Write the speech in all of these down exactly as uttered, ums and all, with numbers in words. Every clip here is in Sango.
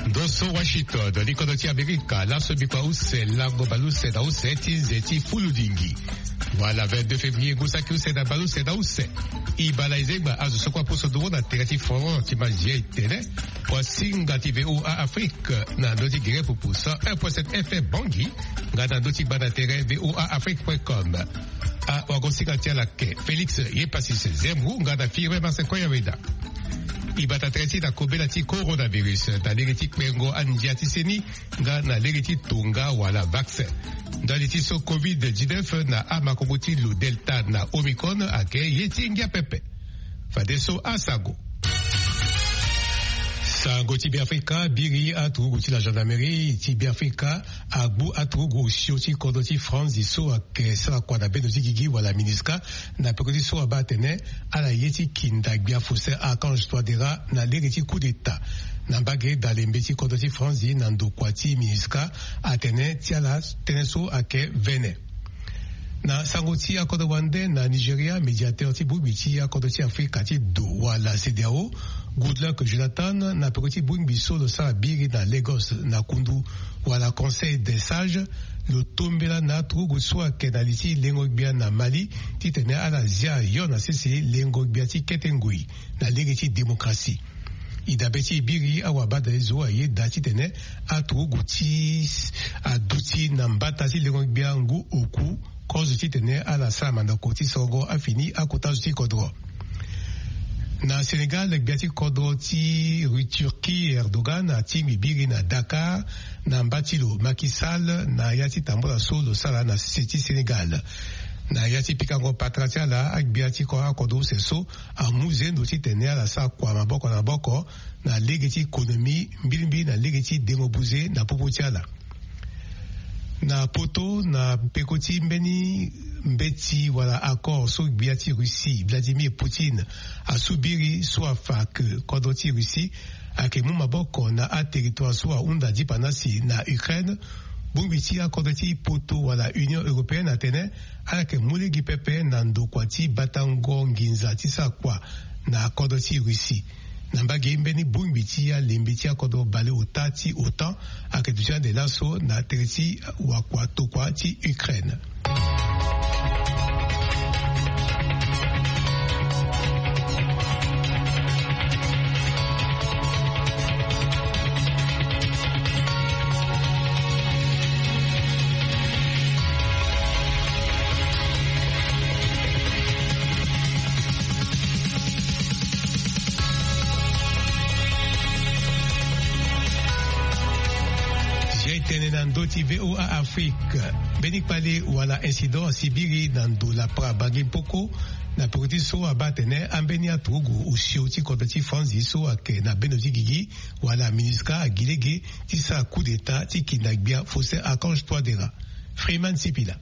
Ndo so Washington, li kodro ti Amerika, laso bikua use lango baleuse na use ti nze ti fuludingi. Wala vingt-deux février, ngu saki use na baleuse na use. Ibala Izegba azo so kue apusu nduru na tere ti forum ti Mazier tene, wasinga ti V O A Afrique na ndö ti gere pupu cent un point sept F M Bangui, nga na ndö ti gba na tere V O A Afrique point com. A wagosinga ti ala ke Félix Yepasis Zemou nga na Firmin Marsecoya Weda. E bata tere ti na kobela ti coronavirus na lege ti kpengo andia ti seni nga na lege ti tonga wala vaccin. Ndali ti so covid dix-neuf na amakongo ti lo Delta na Omicron ayeke ye ti ngia pepe. Fadeso asango. Sango ti Beafrika. Biri aturugu ti la gendarmerie ti Beafrika agbu aturugu osio ti kodro ti Franzi so ayeke sara kua na bendo ti gigi wala MINUSCA, na peko ti so abaa atene ala ye ti kinda gbia Faustin Archange Touadéra na lege ti coup d'État. Na mbage dalembe ti kodro ti Franzi na ndokua ti MINUSCA atene ti ala tënë so ayeke vene. Na sango ti akodro wande na Nigeria, médiateur ti bongbi ti akodro ti Afrika ti do wala CEDEAO, Goodluck Jonathan, na peko ti bongbi so lo sara biri na Lagos na kundu wala Conseil des Sages, lo tombela na aturugu so ayeke na li ti lengo gbia na Mali titene ala zia yo na sese lengo gbia ti kete ngoi na lege ti démocratie. E dabe ti e biri, awabadale zo ayeda titene aturugu ti aduti na mbata ti lengo gbia ngu oku kozo titene ala sara mandako ti sorongo afini akota zo ti kodro. Na Sénégal, gbia ti kodro ti Turquie Erdogan atingbi biri na Dakar na mba ti lo Macky Sall na ya ti tambula so lo sara na sese ti Sénégal. Na ya ti pikango patara ti ala, agbia ti ko akodro use so amu zendo titene ala sara kua maboko na maboko na lege ti konomi, mbilimbili na lege ti dengo buze na popo ti ala. Na poto, na peko ti mbeni mbeti wala accord so gbia ti Russie Vladimir Poutine asu biri so afa ke kodro ti Russie ayeke mu maboko na aterritware so ahunda dipana si na Ukraine, bongbi ti akodro ti poto wala Union européenne atene ala yeke mu lege pepe na ndokua ti batango nginza ti sara kua na kodro ti Russie. Na mbage, mbeni bongbi ti alembe ti akodro baleota ti OTAN ayeke duti ande laso na tere ti wakua tokua ti Ukraine. Zia e tene na ndö ti V O A Afrique. Mbeni kpale wala incident asi biri na ndo lapara Bangi Mpoko, na peko ti so abaa atene ambeni aturugu osio ti kodro ti Franzi so ayeke na bendo ti gigi wala MINUSCA agi lege ti sara coup d'État ti kinda gbia Faustin Archange Touadéra. Freeman Sipila.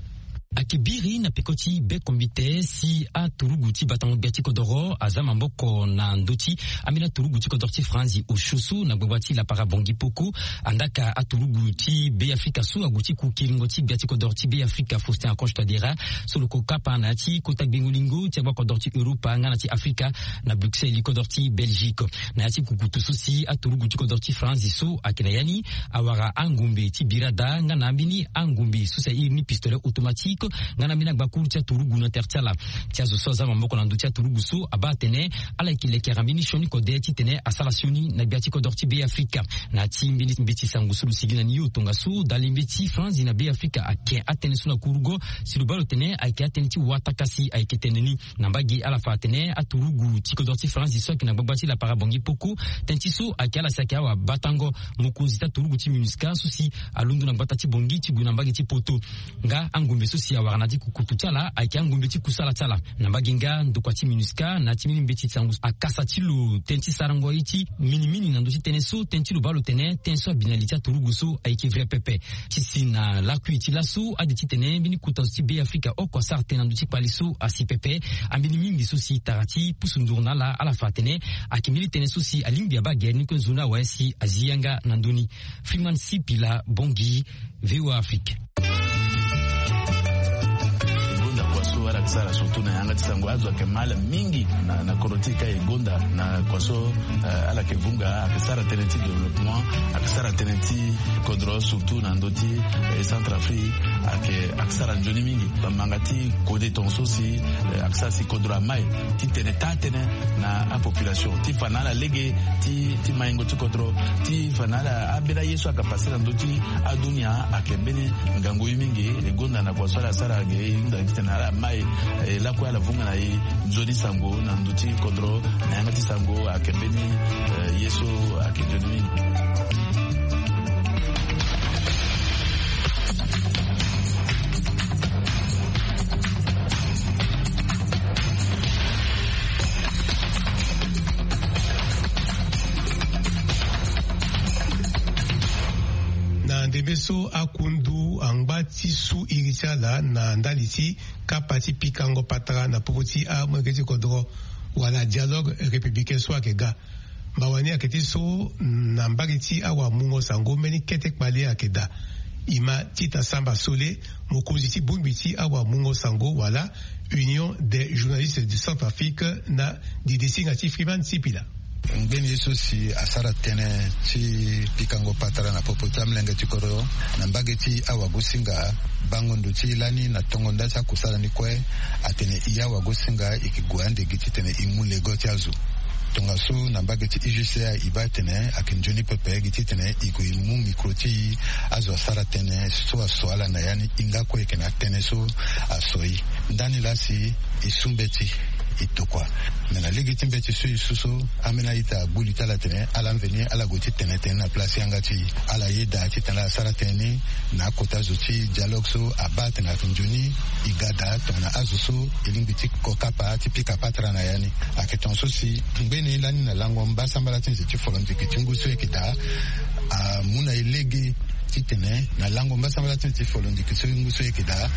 Ayeke biri na peko ti be kombite si aturugu ti batango gbia ti kodoro aza maboko na ndö ti ambeni aturugu ti kodoro ti Franzi osio so na gbagba ti lapara Bangi Mpoko. Andaa ka aturugu ti Beafrika so ague ti ku kiringo ti gbia ti kodoro ti Beafrika Faustin Archange Touadéra, so lo ko kapa na ya ti kota gbengo-lingo ti agba kodoro ti Europa nga na ti Afrika na Bruxelles, kodoro ti Belgique. Na ya ti kukutu so si aturugu ti kodoro ti Franzi so ayeke na ya ni, awara angombe ti bira daa nga na ambeni angombe so si airi ni pistolet automatique, nga na ambeni agbakuru ti aturugu na tere ti ala. Ti azo so aza maboko na ndö ti aturugu so abaa atene ala yeke lekere ambeni sioni kode titene asara sioni na gbia ti kodoro ti Beafrika. Na ya ti mbeni mbeti sango so lo sigi na ni yo tongaso, dalembe ti Franzi na Beafrika ake atënë so na kurugo, si lo baa lo tene ayeke atënë ti watakasi ayeke tene ni. Na mbage ala fa atene aturugu ti kodro ti Franzi so ayeke na gbagba ti lapara Bangi Mpoko, tënë ti so ayeke ala si ayeke awabatango mokonzi ti aturugu ti MINUSCA so si alondo na gbata ti Bangi ti gue na mbage ti poto. Nga angombe so si awara na ya ti kukutu ti ala ayeke angombe ti kusala ti ala. Na mbage nga ndokua ti MINUSCA na ya ti mbeni mbeti sango akasa ti lo tënë ti sarango ye ti minimini na ndö ti tënë so, tënë ti lo baa lo tene tënë so abi na li ti aturugu so ayeke vrai pepe. Ti si na lakui ti laso ade titene mbeni kota zo ti Beafrika oko asara tënë na ndö ti kpale so asi pepe. Ambeni mingi so si tara ti pusu nduru na ala, ala fa atene ayeke mbeni tënë so si alingbi abaa gere ni kue nzoni awe si azi yanga na ndö ni. Freeman Sipila, Bangi, V O A Afrique. Ngonda kua so ala Sara surtout na yanga ti sango azo ayeke mal mingi na kodro ti e ka e gonda na kua so. Ala yeke vunga ayeke sara tënë ti développement, ayeke sara tënë ti kodro surtout na ndö ti Centrafrique. Ayeke sara nzoni mingi bamanga ti kode tonga so si ayeke sara si kodro amai ti tene taa tënë na apopulation ti fa na ala lege ti maingo ti kodro ti fa na ala ambeni aye so ayeke pase na ndö ti adunia. Ayeke mbeni ngangu ye mingi e gonda na kua so ala sara ge e hunda titene ala mai lakue ala vunga na e nzoni sango na ndö ti kodro na yanga ti sango ayeke mbeni ye so ayeke nzoni mingi. Na ndembe so akundu angba ti su iri ti ala na ndali ti kapa ti pikango patara na popo ti amolenge ti kodro wala dialogue républicain so ayeke ga. Mawa ni ayeke ti so na mbage ti awamungo sango mbeni kete kpale ayeke daa. E ma tita samba sole mokonzi ti bongbi ti awamungo sango wala Union des journalistes du Centrafrique na didisinga ti Freeman Sipila. Ngbeni ye so si asara tënë ti pikango patara na popo ti amolenge ti kodro na mbage ti awagosinga bango ndo ti lani na tongo nda ti akusala ni kue. Atene e awagosinga e ke gue ande gi titene e mu lego ti azo. Tongaso na mbage ti U G C A e baa tene ayeke nzoni pepe gi titene e gue e mu mikro ti e. Azo asara tënë so aso ala na ya ni hinga kue e yeke na tënë so aso e. Ndani laa si e su mbeti e tokua. Me na lege ti mbeti so e su so ambeni a-ita agbu li ti ala tene ala mveni ala gue ti tene tënë na place yanga ti e. Ala yeda titene ala sara tënë ni na akota zo ti dialogue so abaa atene ayeke nzoni e ga daa tongana azo so e lingbi ti ko kapa ti pika patara na ya ni. Ayeke tongaso si ngbeni lani na lango mbasambala ti nze ti folondiki ti ngu so e yeke daa amu na e lege titene na lango mbasambala ti nze ti folondiki so ngu so e yeke daa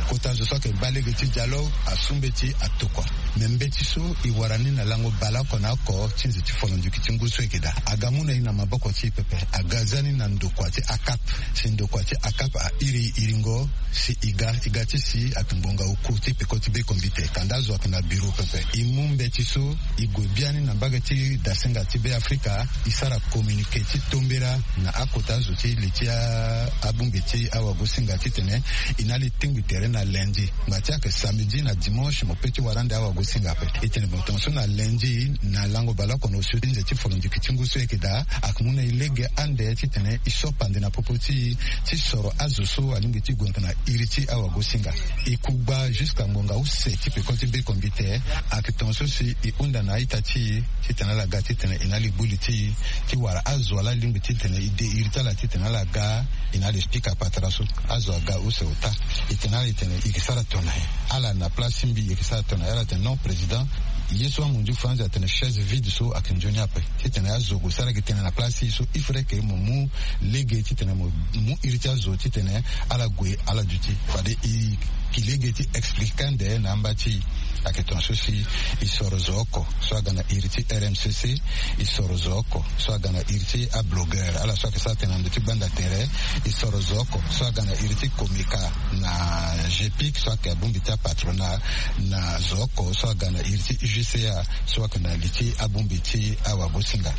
kota zo so ayeke baa lege ti dialogue asu mbeti atokua. Me mbeti so e wara ni na lango baleoko na oko ti nze ti folondiki ti ngu so e yeke daa aga mu na e na maboko ti e pepe. Aga za ni na ndokua ti akap si ndokua ti akap airi e iringo si e ga e ga ti si ayeke ngbonga oku ti peko ti bekombite kanda azo ayeke na biro pepe. E mu mbeti so e gue biani na mbage ti dasinga ti Beafrika e sara communiqué ti tombera na akota zo ti li ti abongbi ti awagosinga titene e na ala e tingbi tere na lundi. Ngba ti ayeke samedi na dimanche mo pe ti wara ande awagosinga ape. E tene mo tongaso na lundi na lango baleoko na osio ti nze ti folondiki ti ngu so e yeke daa ayeke mu na e lege ande titene e so pande na popo ti e ti soro azo so alingbi ti gue na iri ti awagosinga. E ku gba jusqu'à ngonga use ti peko ti bekombite. Ayeke tongaso si e hunda na a-ita ti e titene ala ga titene e na ala e gbu li ti e ti wara azo ala lingbi titene e de iri ti ala titene ala ga e na ala e pika patara so. Azo aga use ota. E tene ala e tene e yeke sara tongana nyen? Ala na place ti mbi e yeke sara tongana nyen? Ala tene non président, ye so amondiu franzi atene chaise vide so ayeke nzoni ape. Titene azo gue sara gi tënë na place ti e so il faudrait que mo mu lege titene mo mu iri ti azo titene ala gue ala duti. Fade e ki lege ti expliqué ande na amba ti e. Ayeke tongaso si e soro zo oko so aga na iri ti R M C C. E soro zo oko so aga na iri ti ablogueur ala so ayeke sara tënë na ndö ti gbanda tere. E soro zo oko so aga na iri ti Comeka na G P I C so ayeke abongbi ti apatronat. Na zo oko so aga na iri ti U G C A so ayeke na li ti abongbi ti awagosinga.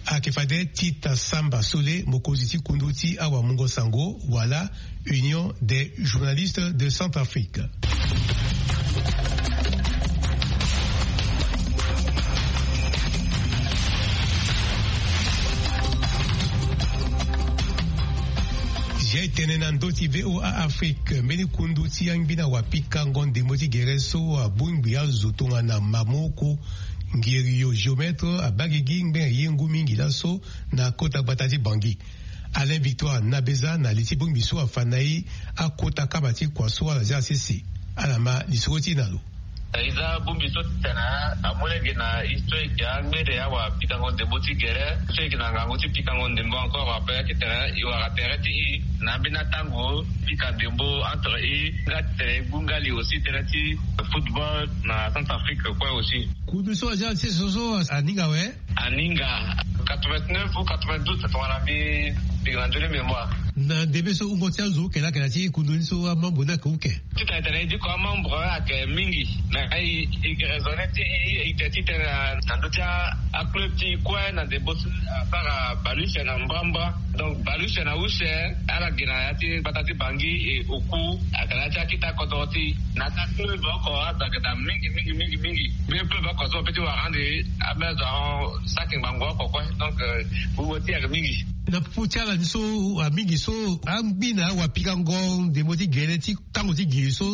Ayeke fade Tita Samba Sole, mokonzi ti kundu ti awamungo sango wala Union des journalistes de Centrafrique. Zia e tene na ndö ti V O A Afrique, mbeni kundu ti angbina wapikango ndembo ti gere so abongbi azo tongana mamoko, ngeriyo, géomètre, abaa gigi ngbene ye ngu mingi laso na kota gbata ti Bangui. Alain Victoire Nabeza na li ti bongbi so afa na e akota kama ti kua so ala zia sese. Ala ma lisoro ti e na lo. E za bongbi so titene amu lege na e so e yeke angbene awapikango ndembo ti gere so e yeke na ngangu ti pikango ndembo encore ape titene e wara tere ti e na ambeni atango pika ndembo entre e nga titene e gbu ngali aussi tere ti football na Centrafrique kue aussi. Kundu so azia ti so so aninga awe. Aninga quatre-vingt-neuf ou quatre-vingt-douze tongana mbi pika na ndoni mémoire. Na ndembe so wungo ti azo uke laa ayeke na ya ti kundu ni so amembre ni ayeke uke. Titene e tene e diko amembre ayeke mingi. Me e e raisonne ti e e ite titene na ndö ti aclub ti e kue na ndembo so asara bale use na mbrambra. Donc bale use na use ala gi na ya ti gbata ti Bangui e oku ayeke na ya ti akita kodoro ti e. Na ka club oko azo ayeke daa mingi mingi mingi mingi. Mbi club oko so ape ti wara ande abe azo ahon saki ngbangbo oko kue. Donc wungo ti e ayeke mingi. Na popo ti ala ni so amingi so angbi na awapikango ndembo ti gere ti tango ti giri so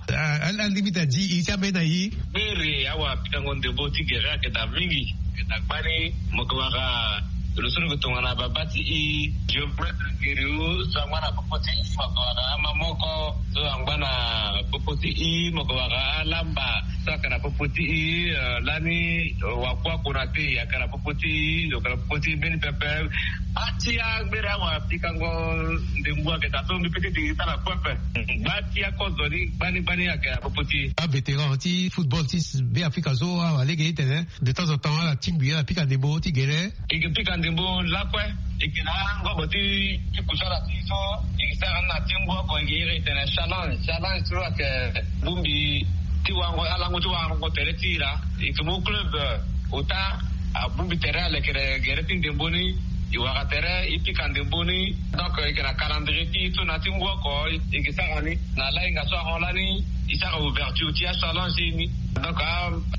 alingbi ta di iri ti ambeni na e. Gbere awapikango ndembo ti gere ayeke daa mingi. Ayeke daa gbani mo yeke wara lo so lo yeke tongana baba ti e. Géomètre giri so angba na popo ti e mo yeke wara ama moko so angba na popo ti e mo yeke wara alamba so ayeke na popo ti e. Lani wakuaku na te ayeke na popo ti e lo yeke na popo ti e mbeni pepe. Gba ti agbere awapikango ndembo ayeke daa so mbi pe ti diri ti ala kue ape. Gba ti akozo ni gbani gbani ayeke na popo ti e. Avétéran ti football ti Beafrika so awa lege ti tene de temps en temps ala tingbi ala pika ndembo ti gere. E ke pika ndembo lakue. E ke na angobo ti ti kusala ti so e ke sara ni na ti ngu oko e ke iri e tene challenge challenge so ayeke bongbi ti warango alango ti warango tere ti e laa. E ke mu club ota abongbi tere alekere gere ti ndembo ni. E wara tere e pika ndembo ni. Donc e ke na calendrier ti e so na ti ngu oko e ke sara ni. Na lahinga so ahon lani e sara ouverture ti achallenge ni. Donc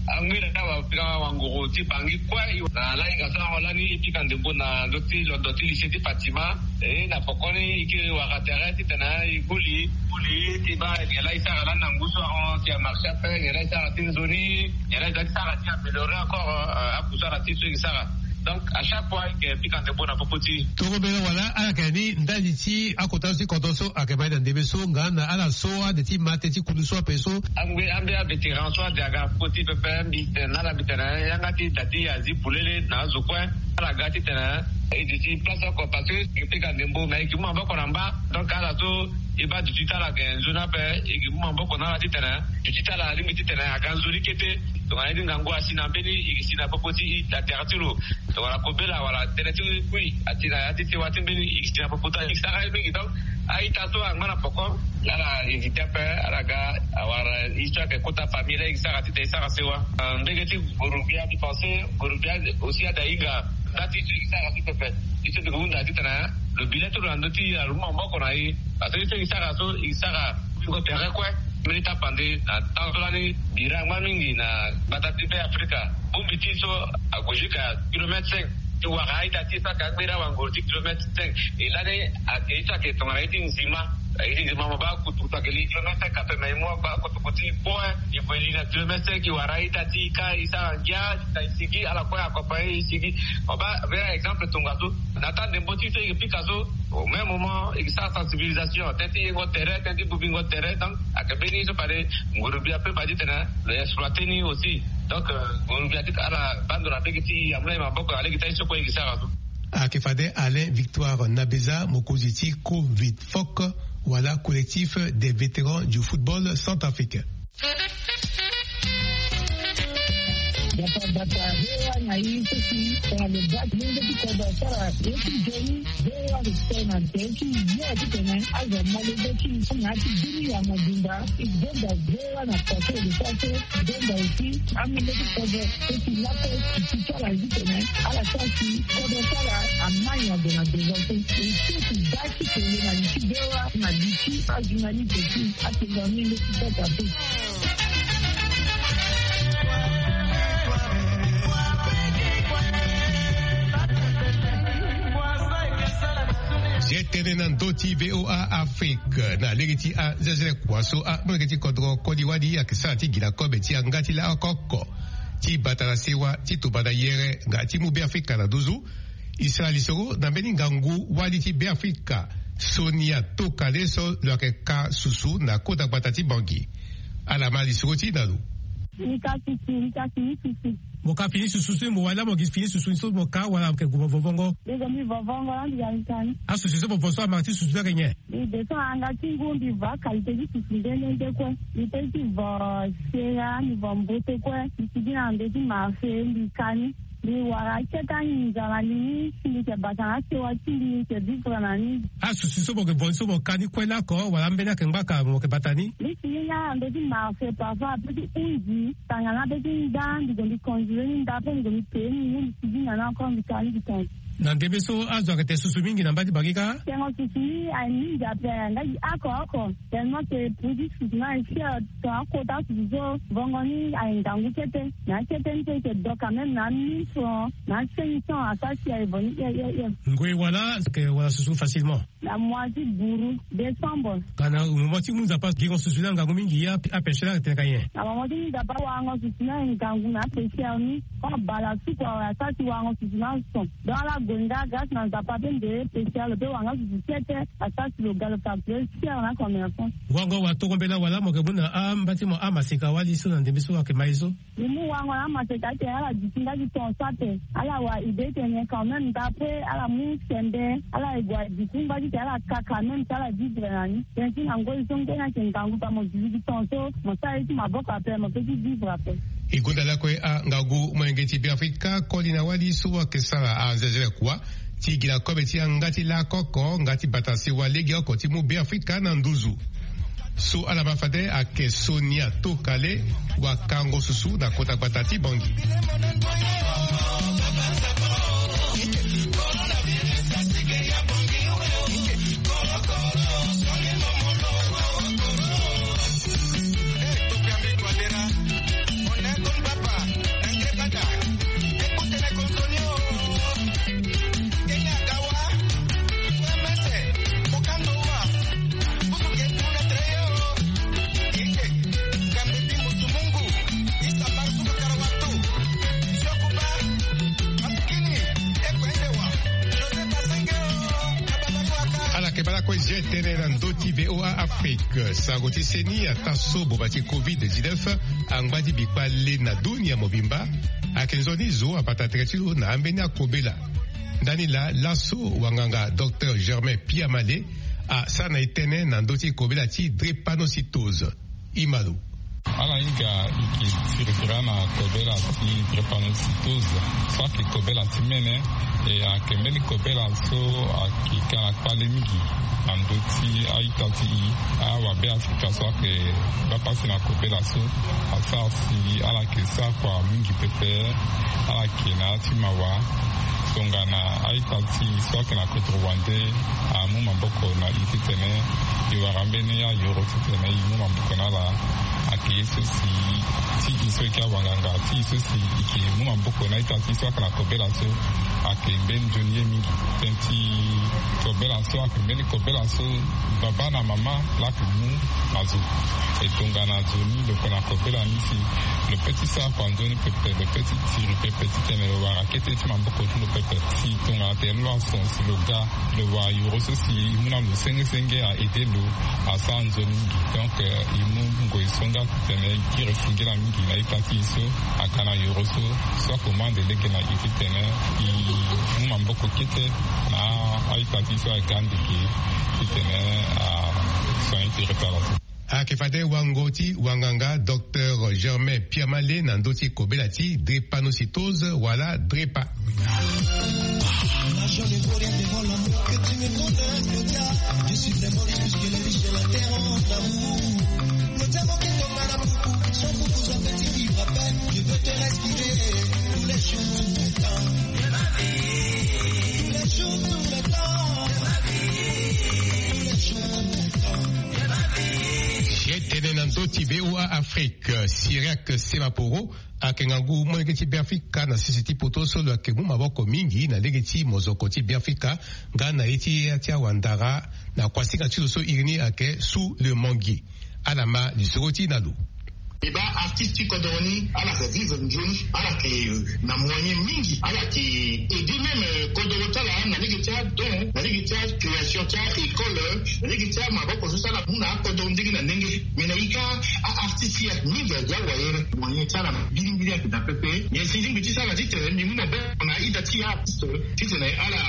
angbiri awa pika wanguru ti Bangui kue na lahinga so ahon lani e pika ndembo na ndö ti londo ti lycée ti Fatima. E na pokoni e ke wara tere titene e guli guli ti baa nyen laa e sara lani na ngu so ahon ti amarché ape nyen laa e sara ti nzoni. Nyen laa e za ti sara ti améliorer encore akusala ti so e ke sara. Donc à chaque fois e ke pika ndembo na popo ti e. Tongobela wala ala yeke ni ndali ti akota so ti kodro so ayeke ma e na ndembe so nga na ala so ande ti ma te ti kundu so ape so. Angbe ambe avétéran so ande aga popo ti pepe mbi tene na ala mbi tene yanga ti da ti azi polele na azo kue. Ala ga titene e duti place oko parce que e pika ndembo me e ke mu maboko na mba. Donc ala so e baa duti ti ala ayeke nzoni ape e ke mu maboko na ala titene duti ti ala alingbi titene aga nzoni kete. Tongana ye ti ngangu asi na mbeni e ke si na popo ti e na tere ti lo. Tongana kobela wala tënë ti kui asi na ya ti sewa ti mbeni e ke si na popo ti ala e ke sara ye mingi. Donc a-ita so angba na poko ala éviter ape ala ga awara histoire ayeke kota famille la e ke sara titene e sara sewa. Mbege ti gorobia mbi pense gorobia aussi ada hinga. Nda ti so e ke sara ti pepe. Ti so mbi ke hunda titene lo bi le ti lo na ndö ti e na lo mu maboko na e. Parce que ti so e ke sara so e ke sara bingo tere kue. Mbeni tapande na temps so lani bira angba mingi na gbata ti Beafrika. Bongbi ti so ague jusqu'à kilomètre cinq. Ti wara a-ita ti e so ayeke agbeni awangoro ti kilomètre cinq. E lani ayeke ye so ayeke tongana ye ti nzima. Aye ti nzima mo baa kutukutu ayeke li kilomètre cinq ape me e mu agba kutukutu ti e kue. E gue li na kilomètre cinq e wara a-ita ti e ka e sara ngia. Na e sigi ala kue accompagner e sigi. Mo baa mbeni exemple tongaso na taa ndembo ti e so e ke pika so. Au même moment e ke sara sensibilisation tënë ti yengo tere tënë ti bobingo tere. Donc ayeke mbeni so fade ngurubia pe baa titene lo exploiter ni aussi. Donc ngurubia ti ala baa ndo na mbege ti e amu na e maboko na lege ti aye so kue e ke sara so. Ayeke fade Alain Victoire Nabeza mokonzi ti Covid Foc wala Collectif des Vétérans du Football Centrafricain. Bata bata, V O A na i so si tongana lo baa ti lenge ti kodro asara ye ti nzoni, V O A respect na nze ti ye titene azo amolenge ti i so na ya ti bini ya mobimba. I gbenda V O A na pase de pase. Gbenda aussi amolenge ti kodro so si lakue ti ti ti ala titene ala sara si kodro ti ala amai na ndo na devant so. E so ti baa ti kele na li ti V O A na li ti ajournaliste ti atenga amolenge ti kodro ape. Ye tënë na ndö ti V O A Afrique na lege ti azezele kua so amolenge ti kodro koli wali ayeke sara ti gi na kobe ti yanga ti lako oko ti bata na sewa ti tombana yere nga ti mu Beafrika na nduzu. E sara lisoro na mbeni ngangu wali ti Beafrika, Sonia Tokale so lo yeke ka susu na kota gbata ti Bangui. Ala ma lisoro ti e na lo. Mbi ka susu, mbi ka fini susu. Mo ka fini susu so mo wali laa mo gi fini susu so mo ka wala mo yeke gue mo vo vongo? Mbi gue mbi vo vongo laa mbi ga mbi ka ni. Asusu so mo vo so amara ti susu so ayeke nyen? Mbi descend na yanga ti ngu mbi vo akalité ti susu nde nde nde kue. Mbi pe ti vo sera, mbi vo mbote kue. Mbi sigi na ndo ti marché mbi ka ni. Mbi wara akete anginza na li ni si mbi yeke bata na asewa ti mbi, mbi yeke vivre na ni. Asusu so mo yeke vo ni so mo ka ni kue lako wala ambeni ayeke ngbaka mo yeke bata ni? Mbi si ni na ndo ti marché parfois ape ti hunzi tanga na ape ti nda, mbi gue mbi conduire ni nda ape mbi gue mbi pee ni, mbi si ni na ni encore mbi ka ni mbi tonga. Na ndembe so azo ayeke tene susu mingi na mba ti bangi kâ? Tengo susu ni aye mingi ape, nga gi oko oko. Tellement que produit susu ni aye cher, ton akota susu so vongo ni aye ngangu kete. Na akete ni so e yeke do quand même na mille francs, na cinq cents asara si aye vo ni hie hie hie. Ngoi wala, ayeke wara susu facilement? Na mois ti buru, décembre. Ka na mo ti mu Nzapa gingo susu ni angangu mingi ya, apêcheur ni atene ka nyen? Na mo ti mu Nzapa warango susu ni aye ngangu na apêcheur ni. Koma bala suku awe asara si warango susu ni ason. Donc ala gue nga grâce na Nzapa ape nde pêcheur lo pe warango susu kete, asara si lo ga lo facturer cher na commerçant. Wango wa toko mbela wala mo yeke mu na amba ti mo amaseka wali so na ndembe so ayeke ma ye so? Mbi mu wango na amaseka ayeke ala duti nga ti ton so ape. Ala wa idée ti tene quand même, d'après ala mu sembe, ala ye gue aduti nga ti tene ala ka quand même si ala vivre na ni. Tënë ti na ngoi so ngbeni ayeke ngangu pa mo duti ti ton so mo sara ye ti maboko ape mo pe ti vivre ape. E gonda lakue angangu molenge ti Beafrika koli na wali so ayeke sara anzenze kua ti gi na kobe ti yanga ti lakoko nga ti bata sewa legeoko ti mu Beafrika na nduzu. So ala ma fade ayeke Sonia Tokale, wakango susu na kota gbata ti Bangui. Ala yeke baa lakue zia tënë na ndö ti V O A Afrique. Sango ti seni ataa so boma ti covid dix-neuf angba ti bikpa le na dunia mobimba. Ayeke nzoni zo abata tere ti lo na ambeni akobela. Ndani laa laso wanganga docteur Germain Piamale asara na e tënë na ndö ti kobela ti drépanocytose. Imalo. Ala hinga e ke tiri tira na kobela ti drépanocytose so ayeke kobela ti mene. E ayeke mbeni kobela so ayeke ka na kpale mingi na ndö ti a-ita ti e. Awabe Afrika so ayeke baa pasi na kobela so asara si ala yeke sara kua mingi pepe. Ala yeke na ya ti mawa. Tongana a-ita ti e so ayeke na kodro wande amu maboko na e titene e wara mbeni ayoro titene e mu maboko na ala. Ayeke ye so si ti e so e ke awanganga ti e so si e ke mu maboko na a-ita ti e so ayeke na kobela so. Ayeke mbeni nzoni ye mingi. Tënë ti kobela so ayeke mbeni kobela so baba na mama laa ayeke mu na zo. E tongana zo ni lo yeke na kobela ni si lo pe ti sara kua nzoni pepe, lo pe ti tiri pepe titene lo wara kete ti maboko ti lo pepe. Si tongana tene lo ason si lo ga lo wara yoro so si e mu na lo senge senge a aidé lo, asara nzoni mingi. Donc e mu ngoi so nga titene e kiri singila mingi na ita ti e so aga na yoro so, so akomande lege na e titene e mu maboko kete na a-ita ti e so aga ndeke titene asoin ti retard so. Ayeke fade wango ti wanganga docteur Germain Piamale na ndö ti kobela ti drépanocytose wala drépa. Zia tënë na ndö ti V O A Afrique. Syriaque Semaporo ayeke ngangu molenge ti Beafrika na sese ti poto so lo yeke mu maboko mingi na lege ti mozoko ti Beafrika nga na ye ti ya ti awandara na kuasinga ti lo so iri ni ayeke Sous le Manguier. Ala ma lisoro ti e na lo. E baa artiste ti kodoro ni ala yeke vivre nzoni, ala yeke na moyen mingi, ala yeke aidé même kodoro ti ala na lege ti adon, na lege ti acréation ti a-école, na lege ti amaboko so si ala mu na akodoro ndenge na ndenge. Mais na e kâ a-artiste ti e ayeke mingi agi awayere, moyen ti ala mbilimbili ayeke daa pepe. Nyen si lingbi ti sara titene mbi mu maboko na ida ti a-artiste titene ala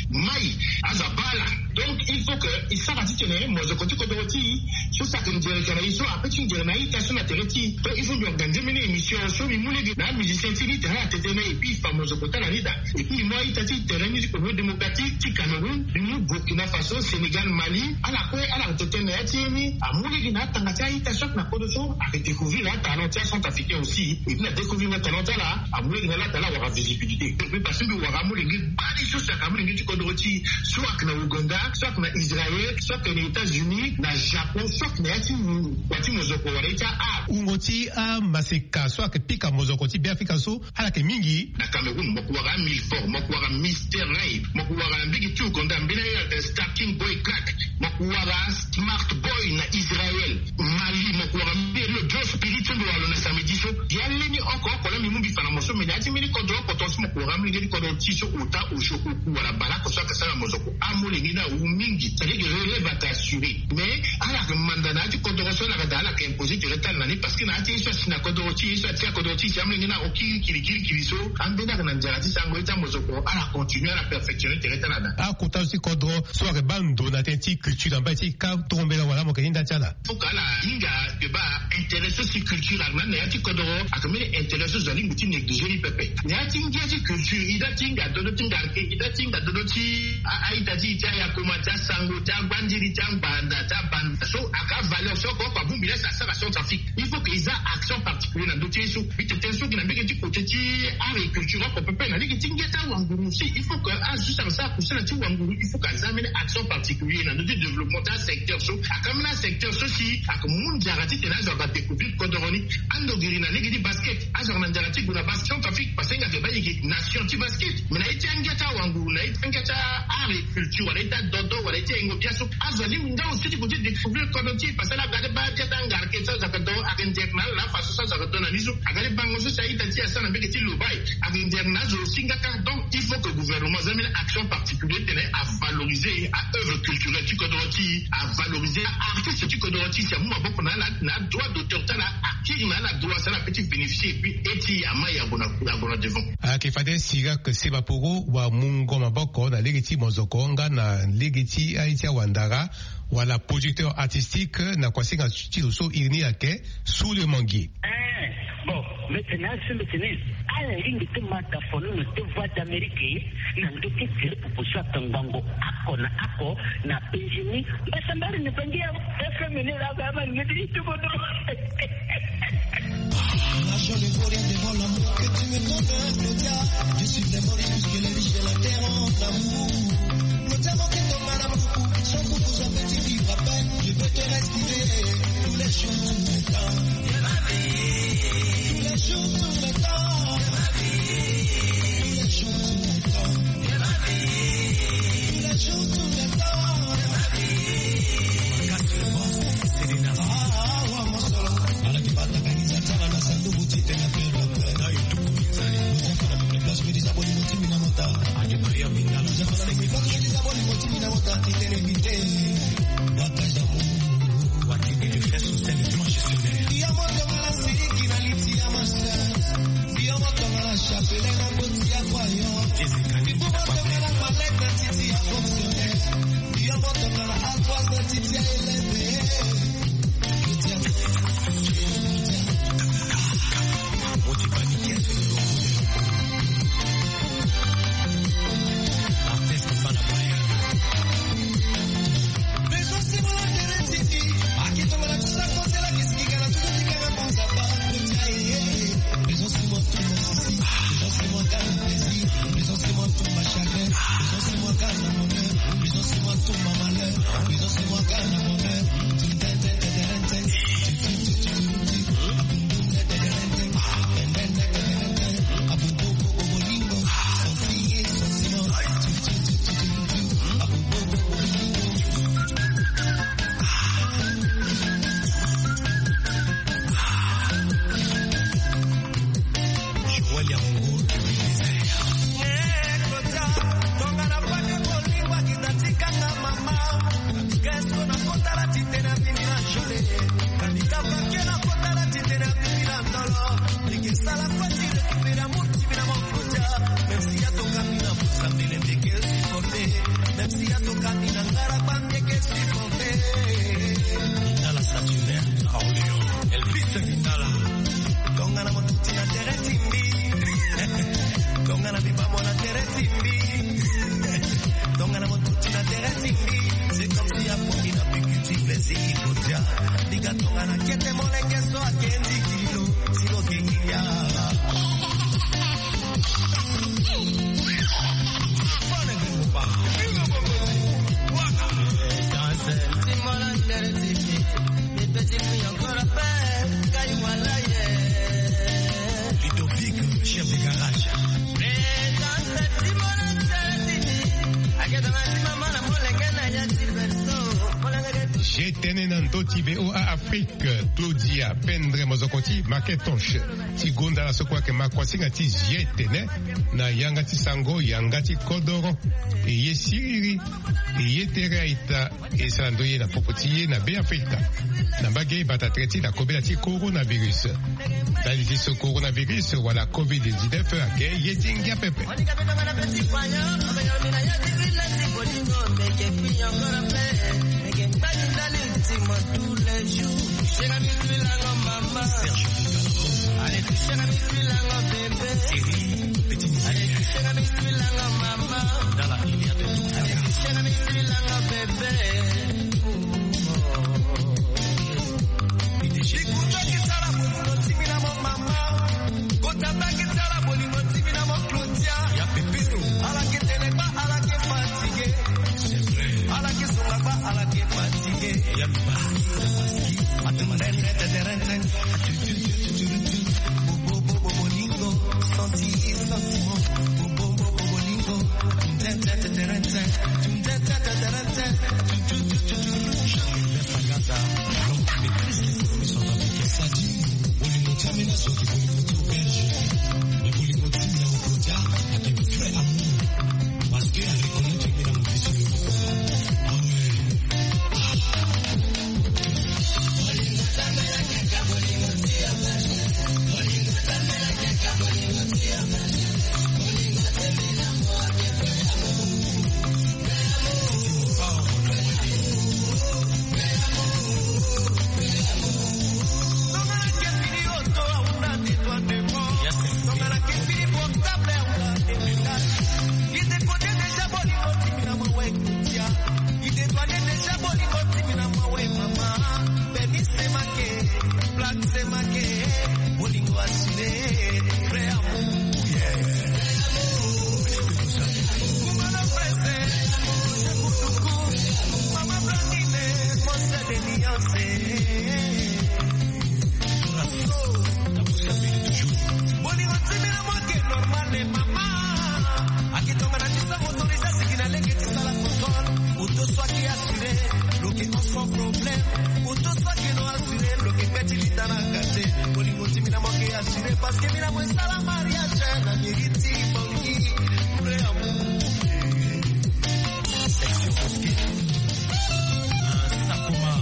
mai aza baa ala Donc il faut que e sara titene mozoko ti kodoro ti e so saki nzere ka na e so ape ti nzere na a-ita so na tere ti e. Donc il faut mbi ora ga nzembe ni émission so mbi mu lege na amusicien ti e ni tene ala tete na e, et puis e fa mozoko ti ala ni daa. Et puis mbi mu a-ita ti tere ni ti Congo Démocratique, ti Cameroun, mbi mu Burkina Faso, Sénégal, Mali, ala kue ala tete na ya ti e ni. Amu lege na atanga ti a-ita so ayeke na kodro so ayeke découvrir atalent ti acentrafricain aussi. Et puis na découvrir atalent ti ala, amu lege na ala daa ala wara visibilité. Et puis parce que mbi wara amolenge gbani so si ayeke amolenge ti kodro ti e, so ayeke na Ouganda, so ayeke na Israël, so ayeke na États-Unis, na Japon, so ayeke na ya ti mo-, wa ti mozoko wala ye ti a-art. Wungo ti amaseka so ayeke pika mozoko ti Beafrika so ala yeke mingi. Na Cameroun mo yeke wara Milford, mo yeke wara Mister Ray, mo yeke wara na mbege ti Ouganda mbeni aye ayeke Starking Boy Crack, mo yeke wara Smart Boy na Israël. Mali, mo yeke wara mbeni lo Joe Spirit so mbi wara lo na samedi so. Ya leni oko oko laa mbi mu mbi fa na mo so, mais na ya ti mbeni kodro oko tongaso mo yeke wara amolenge ti kodro ti e so ota osio oku wala bale oko so ayeke sara mozoko. Amolenge ni awu mingi, c'est-à-dire que relève ayeke assuré. Mais ala yeke manda na ya ti kodoro so ala yeke daa ala yeke imposer tere ti ala na ni, parce que na ya ti ye so asi na kodoro ti e, ye so atia kodoro ti e si amolenge ni ako kiri kiri kiri kiri so, ambeni ayeke na nzara ti sango ye ti amozoko, ala continuer ala perfectionner tere ti ala daa. Akota so ti kodoro so ayeke baa ndo na tënë ti culture na mbage ti e ka tongo mbela wala mo yeke hinda ti ala. Faut que ala hinga yeke baa intérêt so si culture ayeke na ni na ya ti kodoro, ayeke mbeni intérêt so zo alingbi ti négliger ni pepe. Na ya ti ngia ti culture, e daa ti hinga dodo ti ngarke, e daa ti hinga dodo ti a, a-ita ti e ti ayakoma, ti asango, ti agbandiri, ti angbanda, ti abanda. So ayeke avaleur so oko oko abongbi laa si asara Centrafrique. Il faut que e za action particulier na ndö ti ye so. Mbi tene tënë so gi na mbege ti côté ti art et culture oko pepe na lege ti ngia ti awanguru aussi. Il faut que azo so ayeke sara kusala ti wanguru, il faut que aza mbeni action particulier na ndö ti développement ti asecteur so. Ayeke ambeni asecteur so si ayeke mu nzara titene azo aga découvrir kodoro ni. Ando giri na lege ti basket, azo aga na nzara ti gue na basket Centrafrique, parce que nga ayeke baa e yeke nation ti basket. Mais na ye ti angia ti awanguru, na ye ti angia ti art et culture, wala ye ti adodo, wala ye ti ayengo biaso, azo alingbi nga aussi ti gue ti découvrir kodro ti e, parce que ala aga ti baa bia ti angarke so azo ayeke do, ayeke nzere na ala na afaso so azo ayeke do na ni so. Aga ti bango so si a-ita ti e asara na mbege ti lobai, ayeke nzere na azo aussi nga kâ. Donc il faut que gouvernement aza mbeni action particulier titene avaloriser a-œuvre culturelle ti kodro ti e, avaloriser a-artiste ti kodro ti e, si amu maboko na ala na adroit d'auteur ti ala, akiri na ala droit si ala peut ti bénéficier, et puis e ti e ama e ague na, ague na devant. Ayeke fade Sirac Sebaporo wa mungo maboko na lege ti mozoko nga na lege ti aye ti awandara wala producteur artistique na kuasinga ti lo so iri ni ayeke Sous le Manguier. Eh, bon, mbi tene asi mbi tene ala lingbi ti ma tafono na ti Voix d'Amérique na ndö ti tere popo so atongbango oko na oko na penzi ni. Mbasambari ni bangi ya F M ni la ba ma ngeti ti kodro. Nation ivoirienne devant l'amour que tu me donnes, Claudia. Je suis vraiment riche puisque les riches de la terre ont l'amour. Claudia, mon kendo mara kuku, son kuku, son petit vivre à peine. Je peux te respirer tous les jours, tous les temps. Tous les jours, tous les temps. Tous les jours, tous les temps. Tous les jours, tous les temps. Tene na ndö ti V O A Afrique, Claudia Pendre Mozokoti, Maketonche ti gonda la so kue ayeke ma kuasinga ti zie tene na yanga ti sango, yanga ti kodoro. E ye siriri, e ye tere a-ita, e sara ndoye na popo ti ye na Beafrika na mbage bata tere ti na kobela ti coronavirus. Ndali ti so coronavirus wala covid dix-neuf ayeke ye ti ngia pepe. Bikuta ki sara bolingo ti mbi na mo mama. Kota baki sara bolingo ti mbi na mo Claudia. Ya pepero. Ala ke tene kpa, ala ke fatigué. Ala ke songa kpa, ala ke fatigué. Ya mba. Atema. Bolingo, santi sentiment. Bolingo, bolingo. Fagaza, l'homme qui maîtrise les services centrafricains. Sadi, bolingo ti amena so ayeke bolingo ti belge. Mais bolingo ti mbi na mo Claudia ayeke vrai amour. Parce que a reconnaître mbi na mo fils de Europe. Ah ouais. Bolingo ti mbi na mo ayeke normal, mama. Ayeke tongana ti sara motorisation, ayeke na lege ti sala contrôle. Moto so ayeke assuré, lo yeke hon sans problème. Moto so ayeke non assuré, lo yeke kpe ti lita na kate. Bolingo ti mbi na mo ayeke assuré parce que mbi na mo e sala mariage na mairie ti Bangui. Vrai amour. Section Mosquée. Sakuma.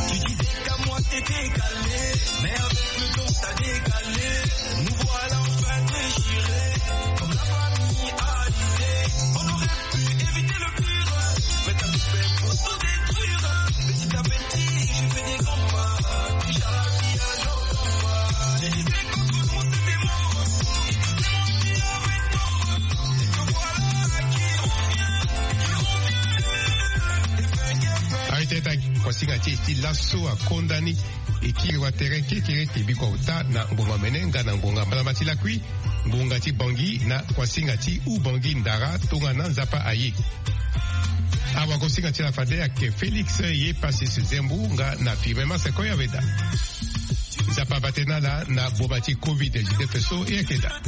Tu disais qu'à moi t'es décalé, mais avec le temps t'as décalé. Nous voilà enfin déchirés, comme la famille alisée. On aurait pu éviter le pire, mais t'as tout fait pour tout détruire. Petit à petit, je fais des grands pas, déjà la vie à nos grands pas. J'ai dit qu'entre nous c'était mort, et tout est menti avec toi. Et te voilà qui revient, qui revient. Arrêtez ta kuasinga ti e ti laso akonda ni. E kiri watere kekereke biko auta na ngbonga mene nga na ngbonga mbalamba ti lakui, ngbonga ti Bangui na kuasinga ti Oubangui Ndara tongana Nzapa aye. Awagosinga ti ala fade ayeke Félix Yepasis Zembu nga na Firmin Maseko Yaweda. Nzapa abate na ala na boma ti covid dix-neuf so e yeke daa.